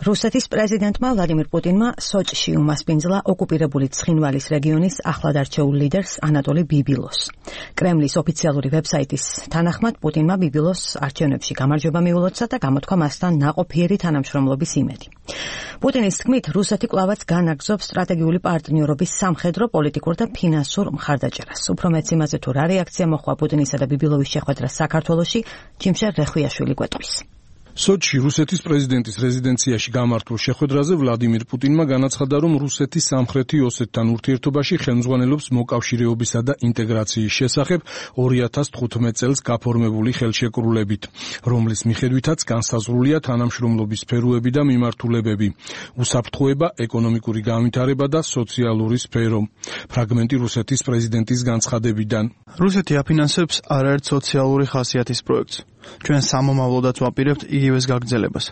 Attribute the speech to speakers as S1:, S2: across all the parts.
S1: რუსეთის პრეზიდენტმა ვლადიმირ პუტინმა სოჭში უმასპინძლა ოკუპირებული ცხინვალის რეგიონის ახლად არჩეულ ლიდერს ანატოლი ბიბილოს. კრემლის ოფიციალური ვებსაიტის თანახმად პუტინმა ბიბილოს არჩევნებში გამარჯვება მიულოცა და გამოთქვა მასთან ნაყოფიერი თანამშრომლობის იმედი. პუტინის თქმით, რუსეთი კვლავაც განაგრძობს სტრატეგიული პარტნიორობის სამხედრო, პოლიტიკურ და ფინანსურ მხარდაჭერას. უფრო მეც იმაზე თუ რა რეაქცია მოხდა პუტინისა და ბიბილოვის შეხვედრას საქართველოში, ჯიმშერ რეხვიაშვილი გვეტყვის.
S2: სოჩში რუსეთის პრეზიდენტის რეზიდენციაში გამართულ შეხვედრაზე ვლადიმირ პუტინმა განაცხადა, რომ რუსეთის სამხრეთი ოსეთთან ურთიერთობაში ხელმძღვანელობს მოკავშირეობისა და ინტეგრაციის შესახებ 2015 წელს გაფორმებული ხელშეკრულებით, რომლის მიხედვითაც განსაზღვრულია თანამშრომლობის სფეროები და მიმართულებები, უსაფრთხოება, ეკონომიკური განვითარება და სოციალური სფერო. ფრაგმენტი რუსეთის პრეზიდენტის განცხადებიდან.
S3: რუსეთი აფინანსებს არაერთ სოციალური ხასიათის პროექტს. ჩვენ სამომავლოდაც ვაპირებთ იგივეს გაგრძელებას.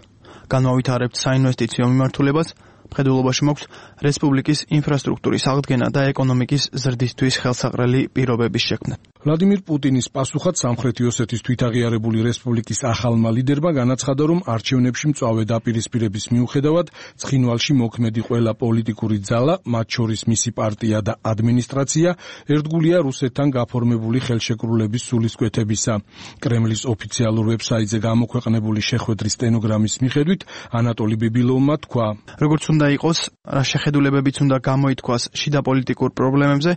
S3: განვავითარებთ საინვესტიციო მიმართულებას, მხედველობაში მაქვს რესპუბლიკის ინფრასტრუქტურის აღდგენა და ეკონომიკის ზრდისთვის ხელსაყრელი პირობების შექმნა.
S2: ვლადიმირ პუტინის პასუხად სამხრეთი ოსეთის თვითაღიარებული რესპუბლიკის ახალმა ლიდერმა განაცხადა, რომ არჩევნებში მწვავე დაპირისპირების მიუხედავად ცხინვალში მოქმედი ყველა პოლიტიკური ძალა, მათ შორის მისი პარტია და ადმინისტრაცია, ერთგულია რუსეთთან გაფორმებული ხელშეკრულების სულისკვეთებისა. კრემლის ოფიციალურ ვებსაიტზე გამოქვეყნებული შეხვედრის სტენოგრამის მიხედვით ანატოლი ბიბილოვმა თქვა:
S3: როგორც უნდა იყოს, რა შეხედულებებიც უნდა გამოითქვას შიდა პოლიტიკურ პრობლემებზე,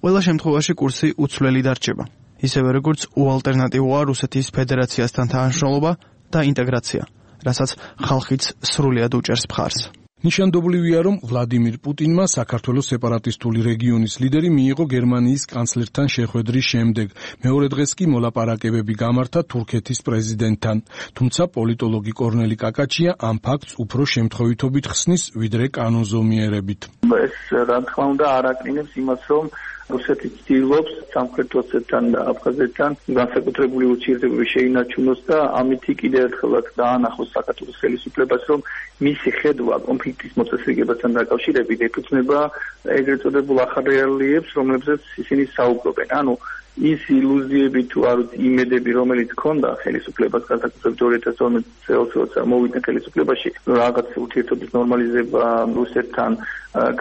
S3: ყველა შემთხვევაში კურსი უცვლელი დარჩება. ისევე როგორც უალტერნატივოა რუსეთის ფედერაციასთან თანამშრომლობა და ინტეგრაცია, რასაც ხალხიც სრულიად უჭერს მხარს.
S2: ნიშანდობლივია, რომ ვლადიმირ პუტინმა საქართველოს სეპარატისტული რეგიონის ლიდერი მიიღო გერმანიის კანცლერთან შეხვედრის შემდეგ. მეორე დღეს კი მოლაპარაკებები გამართა თურქეთის პრეზიდენტთან. თუმცა პოლიტოლოგი კორნელი კაკაჩია ამ ფაქტს უფრო შემთხვევითობით ხსნის, ვიდრე კანონზომიერებით.
S4: ეს რა თქმა უნდა არ აკრინებს იმას, რომ რუსეთი ცდილობს სამხრეთ ოსეთთან და აფხაზეთთან განსაკუთრებული ურთიერთობები შეინარჩუნოს და ამითი კიდევ ერთხელაც დაანახოს საქართველოს ხელისუფლებას, რომ მისი ხედვა კონფლიქტის მოწესრიგებასთან დაკავშირებით ეფუძნება ეგრეთ წოდებულ ახალ რეალიებს, რომლებზეც ისინი საუბრობენ. ანუ ის ილუზიები თუ არ იმედები, რომელიც ჰქონდა ხელისუფლებას განსაკუთრებით 2012 წელს, როცა მოვიდა ხელისუფლებაში, რაღაც ურთიერთობის ნორმალიზება რუსეთთან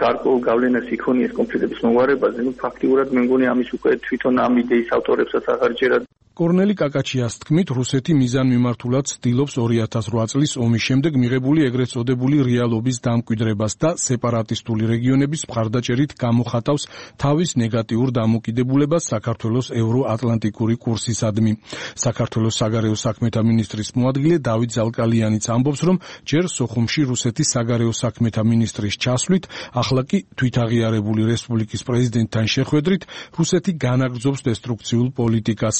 S4: გარკვეულ გავლენას იქონიეს კონფლიქტების მოგვარებაზე, ფაქტიურად მე მგონი ამის უკვე თვითონ ამ იდეის ავტორებსაც აღარ ჯერა.
S2: კორნელი კაკაჩიას თქმით, რუსეთი მიზანმიმართულად ცდილობს 2008 წლის ომის შემდეგ მიღებული ეგრეთ წოდებული რეალობის დამკვიდრებას და სეპარატისტული რეგიონების მხარდაჭერით გამოხატავს თავის ნეგატიურ დამოკიდებულებას საქართველოს ევროატლანტიკური კურსისადმი. საქართველოს საგარეო საქმეთა მინისტრის მოადგილე დავით ზალკალიანიც ამბობს, რომ ჯერ სოხუმში რუსეთის საგარეო საქმეთა მინისტრის ჩასვლით, ახლა კი თვითაღიარებული რესპუბლიკის პრეზიდენტთან შეხვედრით რუსეთი განაგრძობს დესტრუქციულ პოლიტიკას.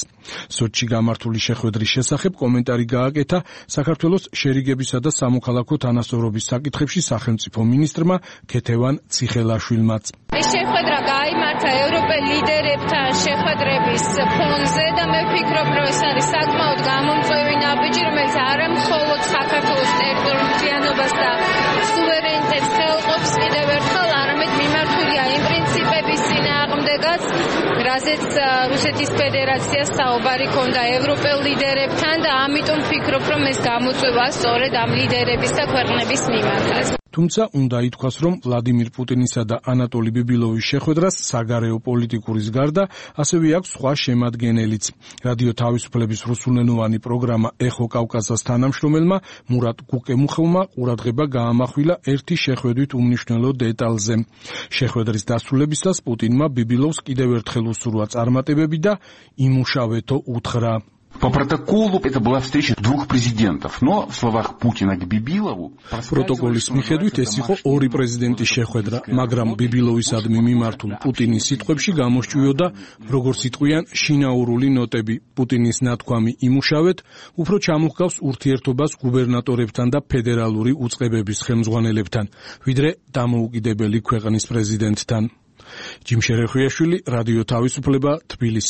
S2: სოჩში გამართული შეხვედრის შესახებ კომენტარი გააკეთა საქართველოს შერიგებისა და სამოქალაქო თანასწორობის საკითხებში სახელმწიფო მინისტრმა ქეთევან ციხელაშვილმაც.
S5: ეს შეხვედრა გაიმართა ევროპელ ლიდერებთან შეხვედრების ფონზე და მე ვფიქრობ, რომ ეს არის საკმაოდ გამომწვევი ნაბიჯი, რომელიც არა მხოლოდ საქართველოს ტერიტორიულობას და სუვერენიტეტს ხელყოფს კიდევ ერთხელ, არამედ მიმართულია იმ პრინციპების წინააღმდეგაც, რაზეც რუსეთის ფედერაციას საუბარი ჰქონდა ევროპელ ლიდერებთან და ამიტომ ვფიქრობ, რომ ეს გამოწვევა სწორედ ამ ლიდერების და ქვეყნების მიმართაც.
S2: თუმცა უნდა ითქვას, რომ ვლადიმირ პუტინისა და ანატოლი ბიბილოვის შეხვედრას საგარეო პოლიტიკურის გარდა ასევე აქვს სხვა შემადგენელიც. რადიო თავისუფლების რუსულენოვანი პროგრამა ეხო კავკასას თანამშრომელმა მურატ გუკემუხოვმა ყურადღება გაამახვილა ერთი შეხვედრით უმნიშვნელო დეტალზე. შეხვედრის დასრულებისას путинმა ბიბილოვს კიდევ ერთხელ უსურვა წარმატებები და იმუშავეთო უთხრა.
S6: По протоколу это была встреча двух президентов, но в словах Путина к Бибилову
S2: პროტოკოლის მიხედვით ეს იყო ორი პრეზიდენტის შეხვედრა, მაგრამ ბიბილოვისადმი მიმართულ პუტინის სიტყვებში გამოსჭვიოდა, როგორც იტყვიან, შინაურული ნოტები. პუტინის ნათქვამი იმუშავეთ, უფრო ჩამოჰგავს ურთიერთობას გუბერნატორებთან და ფედერალური უწყებების ხელმძღვანელებთან, ვიდრე დამოუკიდებელი ქვეყნის პრეზიდენტთან. ჯიმშერ რეხვიაშვილი, რადიო თავისუფლება, თბილისი.